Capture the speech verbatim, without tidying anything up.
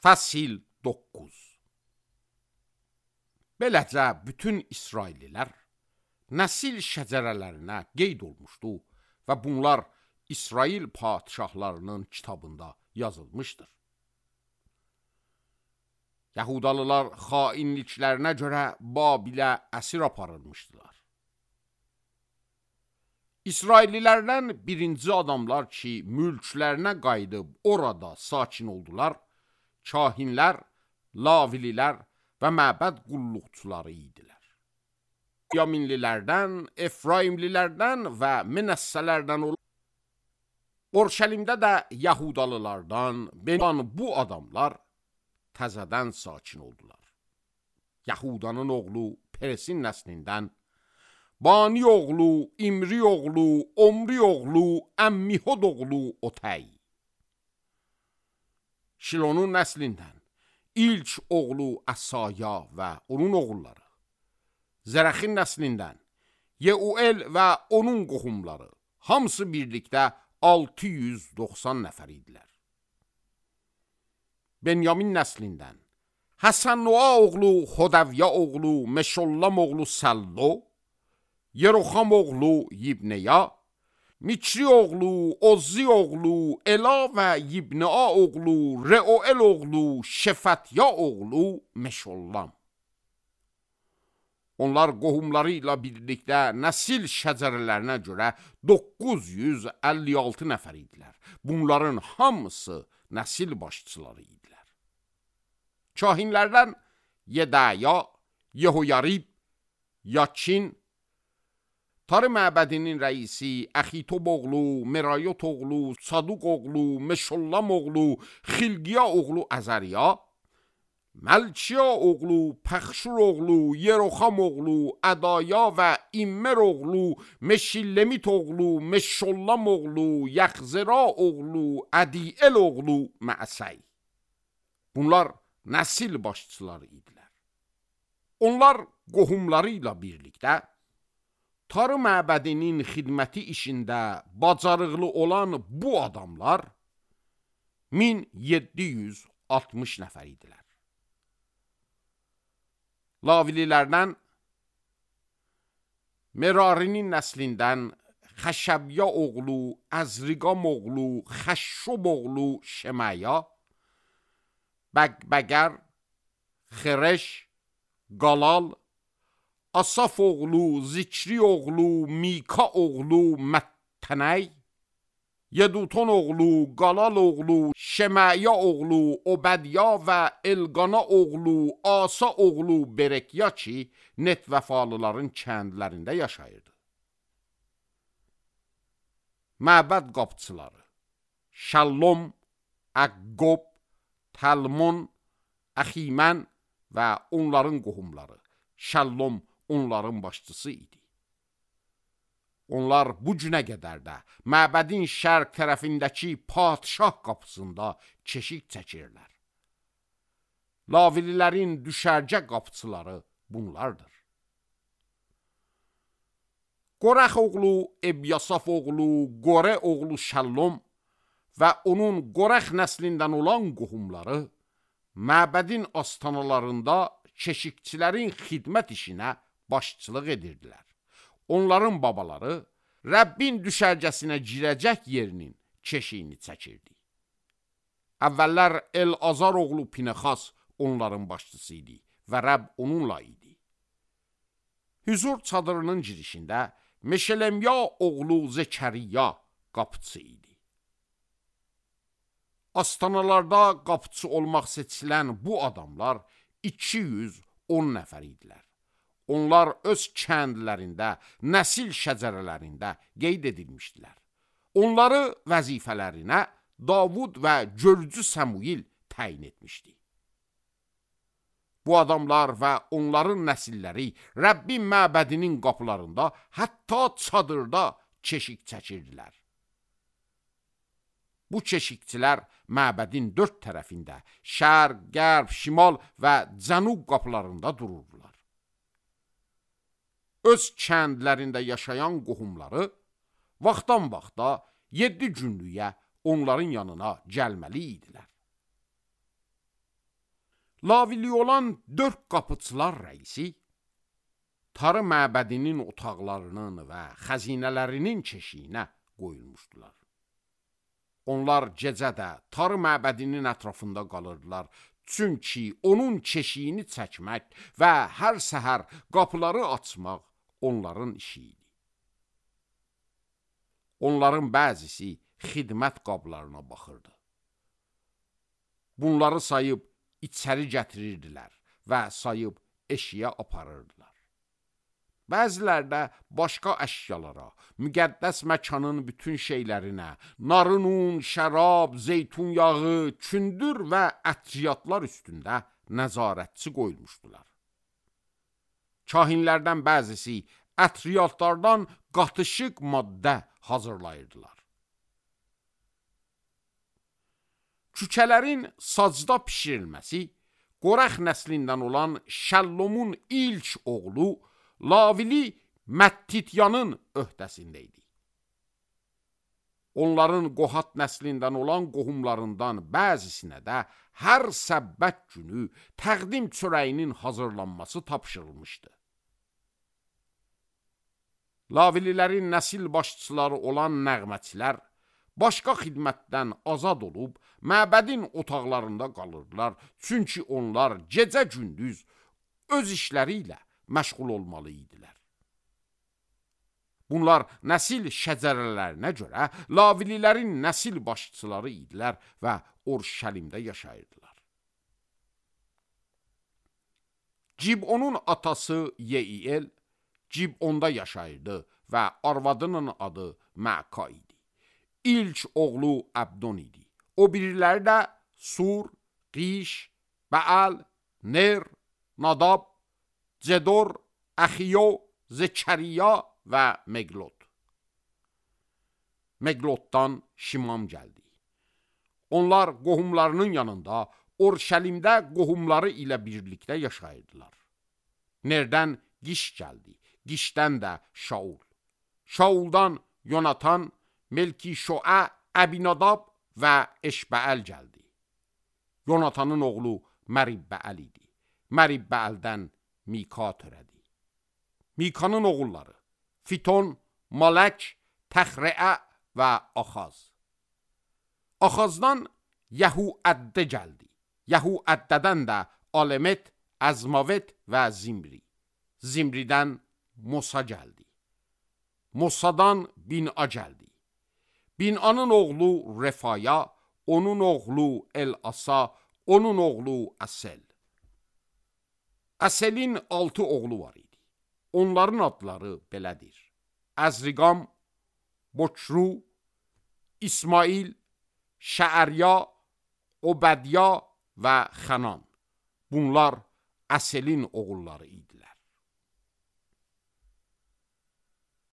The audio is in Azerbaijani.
Fəsil doqquz. Beləcə bütün İsraillilər nəsil şəcərələrinə qeyd olmuşdu və bunlar İsrail padişahlarının kitabında yazılmışdır. Yahudalılar xainliklərinə görə Babilə əsir aparılmışdılar. İsraillilərdən birinci adamlar ki, mülklərinə qayıdıb orada sakin oldular, kahinlər, lavililər və məbəd qulluqçuları idilər. Yaminlilərdən, Efraimlilərdən və Menəssələrdən olan, Orşəlimdə də Yahudalılardan beyan bu adamlar təzədən sakin oldular. Yahudanın oğlu Peresin nəslindən, Bani oğlu, İmri oğlu, Omri oğlu, Əmmihod oğlu Otəy. Şilonun nəslindən ilk oğlu Əsaya və onun oğulları. Zərəxin nəslindən Yeuel və onun qohumları. Hamısı birlikdə altı yüz doxsan nəfər idilər. Benyamin nəslindən Həsən-Noa oğlu, Xodəvya oğlu, Meşollam oğlu Səllo, Yeroxam oğlu Yibneya, Mikri oğlu, Ozzi oğlu, Ela və Yibnea oğlu, Reuel oğlu, Şefətya oğlu Meşollam. Onlar qohumları ilə birlikdə nəsil şəcərələrinə görə doqquz yüz əlli altı nəfər idilər. Bunların hamısı nəsil başçıları idilər. Kahinlərdən Yedaya, Yehoyarib, Yakin, Tarı məbədinin rəisi Əxitob oğlu, Merayot oğlu, Saduq oğlu, Meşollam oğlu, Xilqiya oğlu Əzəriya, Məlkiya oğlu, Pəxşur oğlu, Yeroxam oğlu, Ədaya və İmmer oğlu, Meşillemit oğlu, Meşollam oğlu, Yaxzera oğlu, Ədiel oğlu Məsəy. Bunlar nəsil başçıları idilər. Onlar qohumları ilə birlikdə Tarı məbədinin xidməti işində bacarıqlı olan bu adamlar min yeddi yüz altmış nəfər idilər. Lavililərdən Merarinin nəslindən Xəşəbya oğlu, Əzriqam oğlu, Xəşşob oğlu Şəməya, Bəqbəqər, Xereş, Qalal, Asaf oğlu, Zikri oğlu, Mika oğlu Məttənəy, Yeduton oğlu, Qalal oğlu, Şəməya oğlu, Obədya və Elqana oğlu, Asa oğlu Berekya ki, net vəfalıların kəndlərində yaşayırdı. Məbəd qapçıları Şəllom, Əqqob, Təlmon, Əximən və onların qohumları. Şəllom onların başçısı idi. Onlar bu günə qədər də məbədin şərq tərəfindəki padişah qapısında keşik çəkirlər. Lavililərin düşərgə qapıçıları bunlardır. Qorəx oğlu Ebyasaf oğlu, Qore oğlu Şəllom və onun Qorəx nəslindən olan qohumları məbədin astanalarında keşikçilərin xidmət işinə başçılıq edirdilər. Onların babaları Rəbbin düşərgəsinə girəcək yerinin keşiyini çəkirdi. Əvvəllər El-Azar oğlu Pinexas onların başçısı idi və Rəbb onunla idi. Hüzur çadırının girişində Meşelemya oğlu Zekəriya qapıçı idi. Astanalarda qapıçı olmaq seçilən bu adamlar iki yüz on nəfər idilər. Onlar öz kəndlərində, nəsil şəcərələrində qeyd edilmişdilər. Onları vəzifələrinə Davud və Görcü Səmuil təyin etmişdi. Bu adamlar və onların nəsilləri Rəbbin məbədinin qapılarında, hətta çadırda keşik çəkirdilər. Bu keşikçilər məbədin dörd tərəfində, şərq, qərb, şimal və cənub qapılarında dururdular. Öz kəndlərində yaşayan qohumları vaxtdan vaxta yeddi günlüyə onların yanına gəlməli idilər. Lavili olan dörd qapıçılar rəisi, Tarı məbədinin otaqlarının və xəzinələrinin çeşiyinə qoyulmuşdular. Onlar gecə də Tarı məbədinin ətrafında qalırdılar, çünki onun çeşiyini çəkmək və hər səhər qapıları açmaq onların işi idi. Onların bəzisi xidmət qablarına baxırdı. Bunları sayıb içəri gətirirdilər və sayıb eşiyə aparırdılar. Bəziləri də başqa əşyalara, müqəddəs məkanın bütün şeylərinə, narın un, şərab, zeytun yağı, kündür və ətriyatlar üstündə nəzarətçi qoyulmuşdular. Kahinlərdən bəzisi ətriyatlardan qatışıq maddə hazırlayırdılar. Kükələrin sacda pişirilməsi Qorəx nəslindən olan Şəllumun ilk oğlu Lavili Məttityanın öhdəsində idi. Onların Qohat nəslindən olan qohumlarından bəzisinə də hər səbbət günü təqdim çörəyinin hazırlanması tapşırılmışdı. Lavililərin nəsil başçıları olan nəğməçilər başqa xidmətdən azad olub, məbədin otaqlarında qalırdılar, çünki onlar gecə-gündüz öz işləri ilə məşğul olmalı idilər. Bunlar nəsil şəcərələrinə görə Lavililərin nəsil başçıları idilər və Urşəlimdə yaşayırdılar. Cibonun atası Yeiyel Cibonda yaşayırdı və arvadının adı Məka idi. İlk oğlu Əbdon idi. O biriləri də Sur, Qiş, Bəal, Ner, Nadab, Cedor, Əxiyo, Zekəriya və Meglot. Meglotdan Şimam gəldi. Onlar qohumlarının yanında Urşəlimdə qohumları ilə birlikdə yaşayırdılar. Nerdən Qiş gəldi, Qişdən də Şaul. Şauldan Yonatan, Melki-Şoə, Əbinadab və Eşbəəl gəldi. Yonatanın oğlu Məribbəəl idi. Məribbəəldən Mika törədi. Mikanın oğulları Fiton, Malək, Təxrəə və Axaz. Axazdan Yəhu-əddə gəldi. Yəhu-əddədən də Alemet, Əzmavet və Zimri. Zimridən Mosa gəldi. Mosadan Bin'a gəldi. Bin'anın oğlu Refaya, onun oğlu El-Asa, onun oğlu Əsel. Əselin altı oğlu var idi. Onların adları belədir: Əzriqam, Boçru, İsmail, Şəərya, Obədya və Xənan. Bunlar Əselin oğulları idilər.